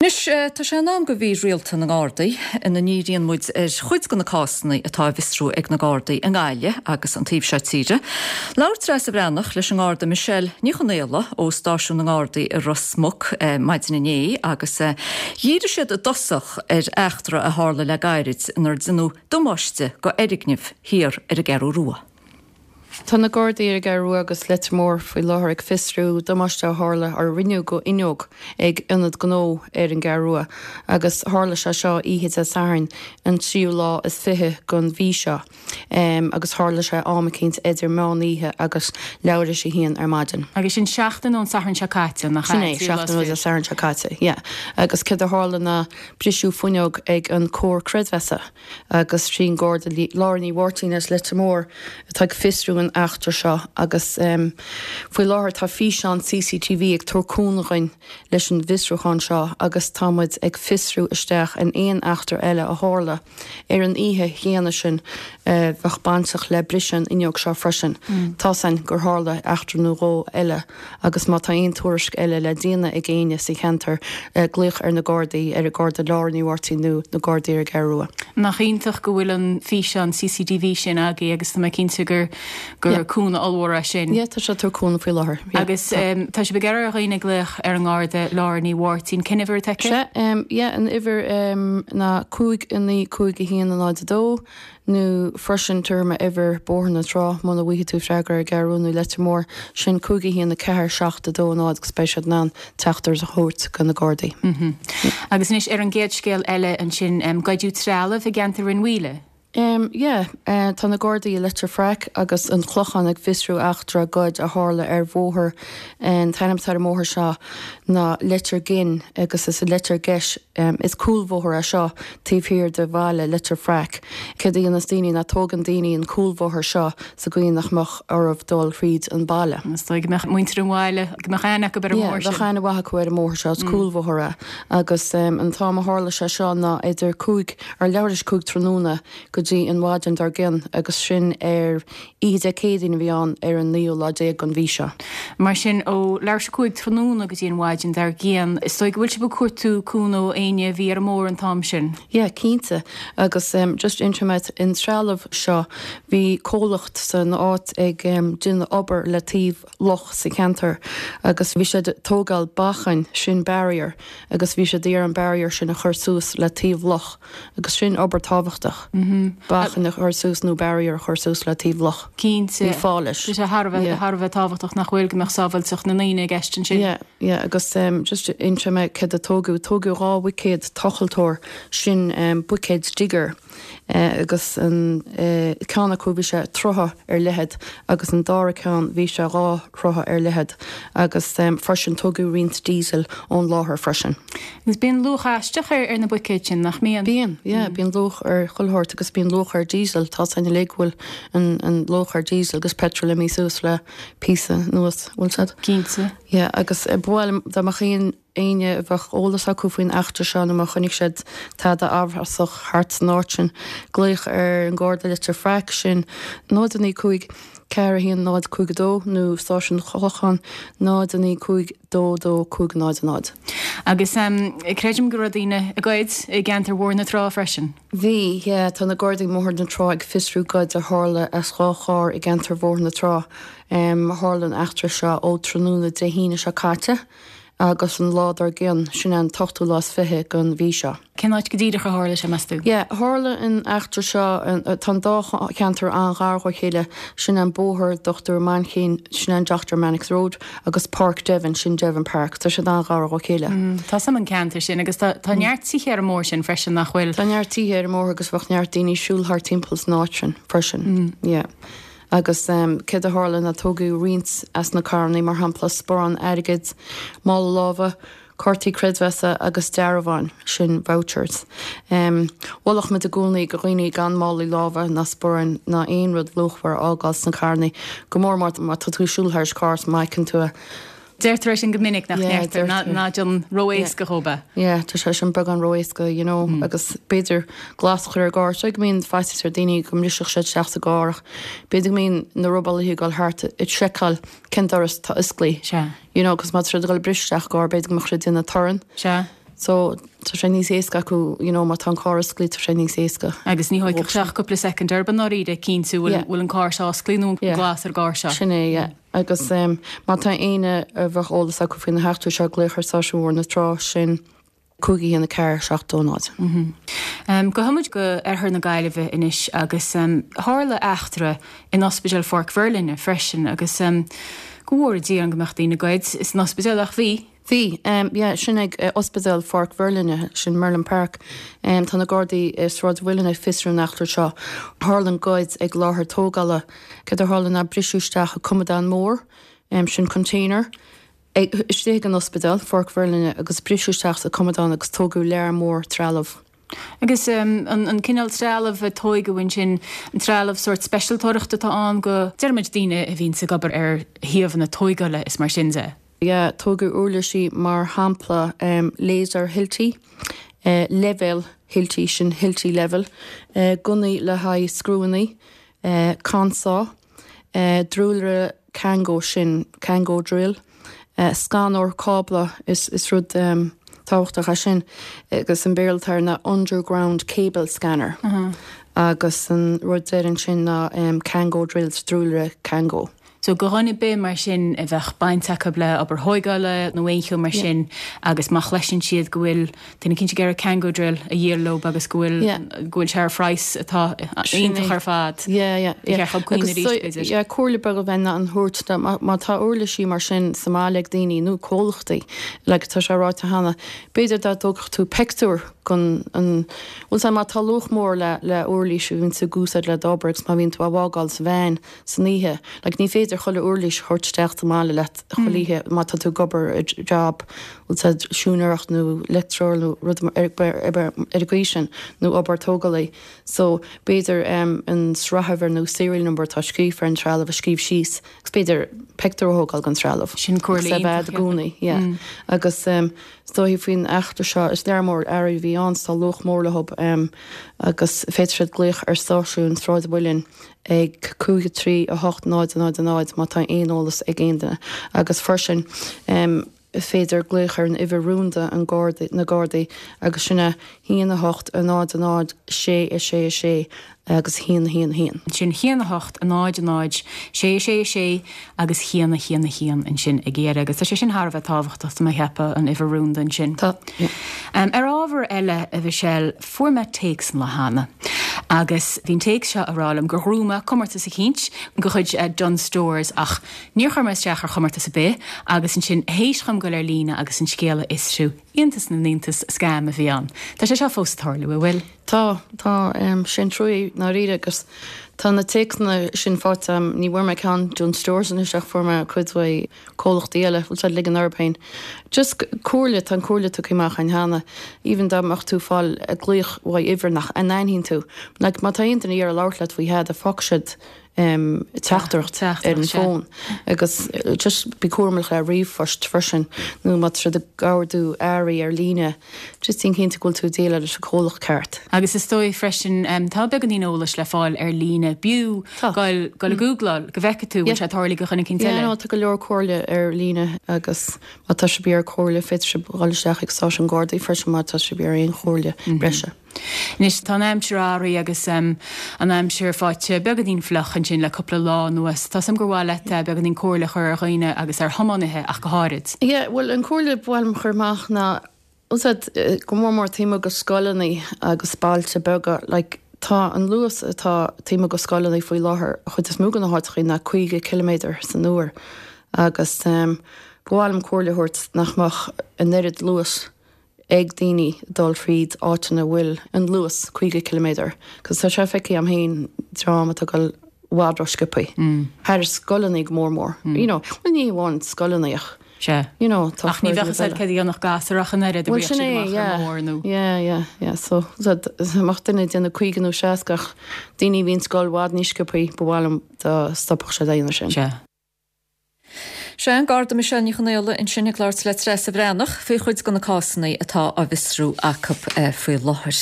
Anois, tá sé in am do mhír rialta na nGardaí, ina ndíríonn muid ar chuid de na cásanna atá á bhfiosrú ag na Gardaí i nGaillimh agus an taobh seo tíre. Labhair Treasa Bhreathnach leis an nGarda Michelle Ní Chonaola ó Stáisiún na nGardaí i Ros Muc maidin inné agus dhírigh siad i dtosach ar eachtra a tharla le gairid inar deineadh damáiste go fhoirgneamh thiar ar an gCeathrú Rua. Tá na Gardaí ar an gCeathrú Rua agus Leitir Móir faoi láthair ag fiosrú damáiste a tharla or a rinneadh go fhuinneog ag ionad gnó ar an gCeathrú Rua agus tharla sé seo oíche Dé Sathairn an tríú lá is 20 den mhí seo agus tharla sé am eicínt idir meán oíche agus leathuair théis a haon ar maidin. Agus sin seachtain ón Satharn seo caite, nach ea? Sin é, seachtain ó Dé Sathairn seo caite, yeah. Agus céard a tharla ná briseadh fuinneog ag an Comhar Creidmheasa. agus sí an Garda Lára Ní Mháirtín as Leitir Móir atá ag fiosrú an eachtra seo agus faoi láthair tá físeán CCTV ag tabhairt cúnamh dhuinn leis an bhfiosrúchán seo agus tá muid ag fiosrú isteach in aon eachtra eile a tharla ar an oíche chéanna sin a bheadh bainteach le briseadh an fhuinneog seo freisin. Tá's againn gur tharla eachtra nó dhó eile. agus má tá aon tuairisc eile le déanamh ag éinne sa cheantar, glaoch ar na Gardaí, ar an Garda Lára Ní Mháirtín nó na Gardaí ar an gCeathrú Rua. Nach iontach go bhfuil an físeán CCTV sin agaibh agus tá mé cinnte gur gur cúnamh ollmhór é sin. Yeah, tá sé ag tabhairt cúnamh faoi láthair. Yeah, Agus tá sibh ag iarraidh ar dhaoine glaoch ar an nGarda Lára Ní Mháirtín. Cén uimhir atá aici? Sea, yeah, an uimhir ná 5 9 5 1 0 2. Nó freisin, tabharfaidh mé uimhir Bóthar na Trá, muna bhfaighidh tú freagra ar an gCeathrú Rua nó Leitir Móir, sin 5 1 4 7 2 0 agus beidh siad in ann teachtaireacht a thabhairt go na Gardaí. Agus anois ar an gcéad scéal eile ansin, goideadh trealamh i gceantar Rinn Mhaoile. Yeah, tá na Gardaí i Leitir Fraic agus an Clochán ag fiosrú eachtra goid a tharla ar bhóthar, an t-ainm atá ar an mbóthar seo ná Leitir Ghin agus is i Leitir Geis, Is cúlbhóthar é seo taobh thiar de bhaile Leitir Fraic. Céard a dhéanas daoine ná tógann daoine an cúlbhóthar seo sa gcaoi nach mbeadh orthu dul thríd an baile. Is dóigh go mbeadh muintir an bhaile, go mbeadh aithne acu ar an mbóthar sin. Yeah, bheadh aithne mhaith acu ar an mbóthar seo, is cúlbhóthar é. Agus an t-am a tharla sé seo ná idir cúig, ar leathuair théis cúig tráthnóna go dtí an mhaidin dár gcionn agus sin ar Oíche Dé Céadaoin a bhí ann ar an naoú lá déag den mhí seo. Mar sin, ó leathuair théis 5 tráthnóna go dtí an mhaidin dár gcionn, is dóigh go bhfuil sibh ag cuartú cúnamh ó éinne a bhí ar an mbóthar an t-am sin. Yeah, cinnte. Agus just inseoidh mé an trealamh seo, bhí comhlacht san áit ag déanamh obair le taobh loch sa cheantar agus bhí siad ag tógáil bacainn, sin barrier, agus bhí siad ag iarraidh an barrier sin a chur suas le taobh loch. Agus sin obair tábhachtach, bacainn a chur suas nó barrier a chur suas le taobh loch. Cinnte. Bhí fáth leis. Tá sé thar a bheith, thar a bheith tábhachtach nach bhfuil, go mbeadh sábháilteacht na ndaoine i gceist ansin. Yeah, yeah, agus just inseoidh mé céard a tógadh. Tógadh 2 bhuicéad tochaltóir, sin buicéid digger. agus an ceann acu bhí sé troithe ar leithead agus an dara ceann bhí sé 2 throithe ar leithead agus freisin tógadh roinnt diesel ón láthair freisin. Agus bíonn luach aisteach ar na buicéid sin, nach mbíonn? Bíonn, yeah, bíonn luach ar chuile shórt agus bíonn luach ar diesel, tá 's againn uilig go bhfuil an luach ar diesel agus petrol imithe suas le píosa anuas, bhfuil 's agat? Cinnte. Yeah, agus ba mhaith liom dá mbeadh aon éinne a bheadh eolas acu faoin eachtra seo nó má chonaic siad tada amhrasach thart san áit sin, glaoch ar an Gharda Leitir Fraic, sin 0 9 5 4 1 0 5 2 nó Stáisiún an Chlocháin 0 9 5 2 2 5 0 0. Agus creidim go raibh daoine ag goid i gceantar Bhóthar na Trá freisin. Bhí, yeah. Tá na Gardaí i mBóthar na Trá ag fiosrú goid a tharla as 2 charr i gceantar Bhóthar na Trá. Tharla an eachtra seo ó tráthnóna Dé hAoine seo caite. agus an lá dár gcionn, sin é an t-ochtú lá is 20 den mhí seo. Cén áit go díreach a tharla sé, meas tú? Yeah, tharla an eachtra seo, tá an dá cheantar an-ghar dhá chéile, sin é an bóthar Dr. Mainchín, sin é an Doctor Mannix Road, agus Páirc Devon, sin Devon Park, tá siad an-ghar dhá chéile. Tá 's a'm an ceantar sin agus tá tá neart tithe ar an mbóthar sin freisin, nach bhfuil? Tá neart tithe ar an mbóthar agus bheadh neart daoine ag siúl thart timpeall san áit sin freisin, yeah. Agus céard a tharla ná tógadh roinnt as na carrannaí, mar shampla sparán airgid, mála láimhe, cártaí creidmheasa agus dearbháin, sin vouchers. Mholfadh muid i gcónaí go dhaoine gan málaí láimhe ná sparáin ná aon rud luachmhar a fhágáil sna carrannaí, go mór mór má tá tú ag siúl thairis carr is má fheiceann tú é. Deirtear é sin go minic, nach ndeirtear? Ná déan ró-éasca dhóibh é. Yeah, tá sé sin beagán ró-éasca, you know, agus b'fhéidir glas a chur ar an gcarr. Is go mbíonn faitíos ar daoine go mbrisfeadh siad isteach sa gcarr ach b'fhéidir go mbíonn na robálaithe ag dul thart ag seiceáil cén doras atá osclaithe. Sea. You know, 'cause má tá siad ag dul ag briseadh isteach i gcarr b'fhéidir go mbeadh siad ag déanamh torann. Sea. So tá sé níos éasca acu, you know, má tá an carr osclaithe tá sé níos éasca. Agus ní thóigfeadh sé ach cúpla soicind orthu i ndáiríre cinntiú bhfuil bhfuil an carr seo osclaithe nó an glas ar an gcarr seo. Sin é, yeah. Agus má tá éinne a bheadh eolas acu faoi na heachtraí seo, glaoch ar Stáisiún Bhóthar na Trá, sin 5 1 4 7 2 0. Gabhfaidh muid go oirthear na Gaillimhe anois agus tharla eachtra in Ospidéal Pháirc Mhuirlinne freisin agus go bhfóire Dia orainn go mbeadh daoine ag goid san ospidéal ach bhí. Bhí, yeah, sin ag Ospidéal Pháirc Mhuirlinne, sin Merlin Park. Tá na Gardaí i Sráid an Mhuilinn ag fiosrú an eachtra seo. Tharla an goid ag láthair tógála. Céard a tharla ná briseadh isteach i coimeádán mór, sin container, ag, istigh ag an ospidéal, Pháirc Mhuirlinne, agus briseadh isteach sa coimeádán agus tógadh lear mór trealamh. Agus an cineál trealamh a tóigeadh ansin, an trealamh sórt speisialtóireachta atá ann go, déarfaimid, daoine a bhíonns ag obair ar shuíomhanna tóigeála is mar sin de. Yeah, tógadh uirlisí mar shampla laser Hilti, leibhéal Hilti, sin Hilti level, gunnaí le haghaidh scriúannaí, consá, druilire Kango, sin Kango drill, scanóir cábla, is rud tábhachtach é sin agus an Béarla atá air ná underground cable scanner agus an rud deiridh ansin ná Kango drills, druilire Kango. So do dhuine ar bith mar sin a bheadh baint acu le obair thóigeála nó aon cheo mar sin agus má chloiseann siad go bhfuil duine eicínt ag iarraidh Kango drill a dhíol leob agus go bhfuil go bhfuil sé ar phraghas atá iontach ar fad. Yeah, yeah, yeah. Ba cheart dóibh cuimhneamh arís b'fhéidir. Yeah, comhairle beag a bheinn in ann a thabhairt ná má tá uirlisí mar sin sa mbaile ag daoine nó comhlachtaí, like tá sé ráite cheana, b'fhéidir dá dtógfadh tú pictiúr den an, bhfuil 's a'd má tá luach mór le le uirlís a bhíonn tú ag úsáid le d'obair agus má bhíonn tú á bhfágáil sa veain, san oíche. Like ní féidir chuile uirlis a thabhairt isteach sa mbaile leat chuile oíche má tá tú ag obair i job, bhfuil 's a'd, siúinéireacht nó leictreoir nó rud ar ar an gcaoi sin nó obair tógálaí. So b'fhéidir an sraithuimhir nó serial number atá scríofa ar an trealamh a scríobh síos agus b'fhéidir pictiúr a thógáil den trealamh. Sin comhairle iontach, yeah. I gcónaí, yeah. Agus is dóichí faoin eachtra seo, is lear mór earraí a bhí ann, so tá luach mór leob agus féadfaidh siad glaoch ar stáisiún Sráid an Mhuilinn ag 5 3 8 0 0 0 má tá aon eolas ag aon duine agus freisin is féidir glaoch ar an uimhir rúnda an Garda, na Gardaí agus sin é 1 8 0 0 6 6 6 agus 1 1 1. Sin 1 8 0 0 6 6 6 agus 1 1 1 ansin ag iarraidh agus tá sé sin thar a bheith tábhachtach tá mé ag ceapadh an uimhir rúnda ansin. Tá. Ar ábhar eile a Mhichelle, Fuair mé téacs an lá cheana agus bhí an téacs seo ag rá liom gur ghnóthaigh mé comórtas eicínt de chuid Dunnes Stores ach níor chuir mé isteach ar chomórtas ar bith agus ansin théis dhom goil ar líne agus an scéal a fhiosrú, iontas na n-iontas, scam a bhí ann. Tá sé seo fós ag tarlú, an bhfuil? Tá, tá, sin trua i ndáiríre agus tá na téacsanna sin faighte agam, ní bhfuair mé ceann Dunnes Stores anois ach fuair mé cuid uaidh comhlachtaí eile, bhfuil siad ag ligean orthu féin. Just comhairle, tá an comhairle tugtha amach againn cheana, even dá mbeadh tú ag fáil glaoch uaidh uimhir nach n-aithníonn tú, like má tá aon duine ag iarraidh labhairt leat faoi thada, fágfaidh siad em teachtaireacht ar an bhfón agus just bí cúramach le ríomhphoist freisin nó má tá siad ag ordú earraí ar líne, Just déan cinnte go bhfuil tú ag déileáil leis an comhlacht ceart. Agus is dóigh freisin, tá beagáinín eolais le fáil ar líne. B'fhiú goil ag googláil go bhfeicfidh tú bhfuil sé tarlaithe do dhuine eicínt eile. Yeah, no, tá go leor comhairle ar líne agus má tá sibh ag iarraidh comhairle, féadfaidh sibh dhul isteach ag stáisiún Gardaí freisin má tá sibh ag iarraidh aon chomhairle breise. Anois, tá an aimsir athraithe agus an aimsir faighte beagáinín fliuch ansin le cúpla lá anuas. Tá 's agam gur mhaith leat beagáinín comhairle a chur ar dhaoine agus ar thiománaithe ach go háirid. Yeah, bhuel, an comhairle ba mhaith liom a chur amach ná, bhfuil 's a'd, go mór mór taobh amuigh de scoileanna agus bailte beaga, like, tá an luas atá taobh amuigh de scoileanna faoi láthair, an chuid is mó de na háiteachaí ná 50 ciliméadar san uair agus ba mhaith liom comhairle a thabhairt nach mbeadh an oiread luais ag daoine dul thríd áiteanna a bhfuil an luas 50 ciliméadar, cos tá sé feicthe agam féin dream atá ag dul i bhfad ró-sciobthaí, thar scoileanna go mór mór, you know, bhuel ní amháin scoileanna ach, Sea. you know, tá Ach ní bheadh fhios agat céard a dhéanfadh gasúr ach an oiread a Bhuel bhíodh sin siad é, amach ar yeah, an mbóthar nó. yeah, yeah, yeah, so dá mbeadh duine ag déanamh 50 nó 60 ach daoine a bhíonn ag dul i bhfad níos sciobthaí, ba mhaith liom dá stopfadh siad a dhéanamh sin. Sea. Sea, an Garda Michelle Ní Chonaola ansin ag labhairt le Treasa Bhreathnach faoi chuid de na cásanna atá á bhfiosrú acu faoi láthair.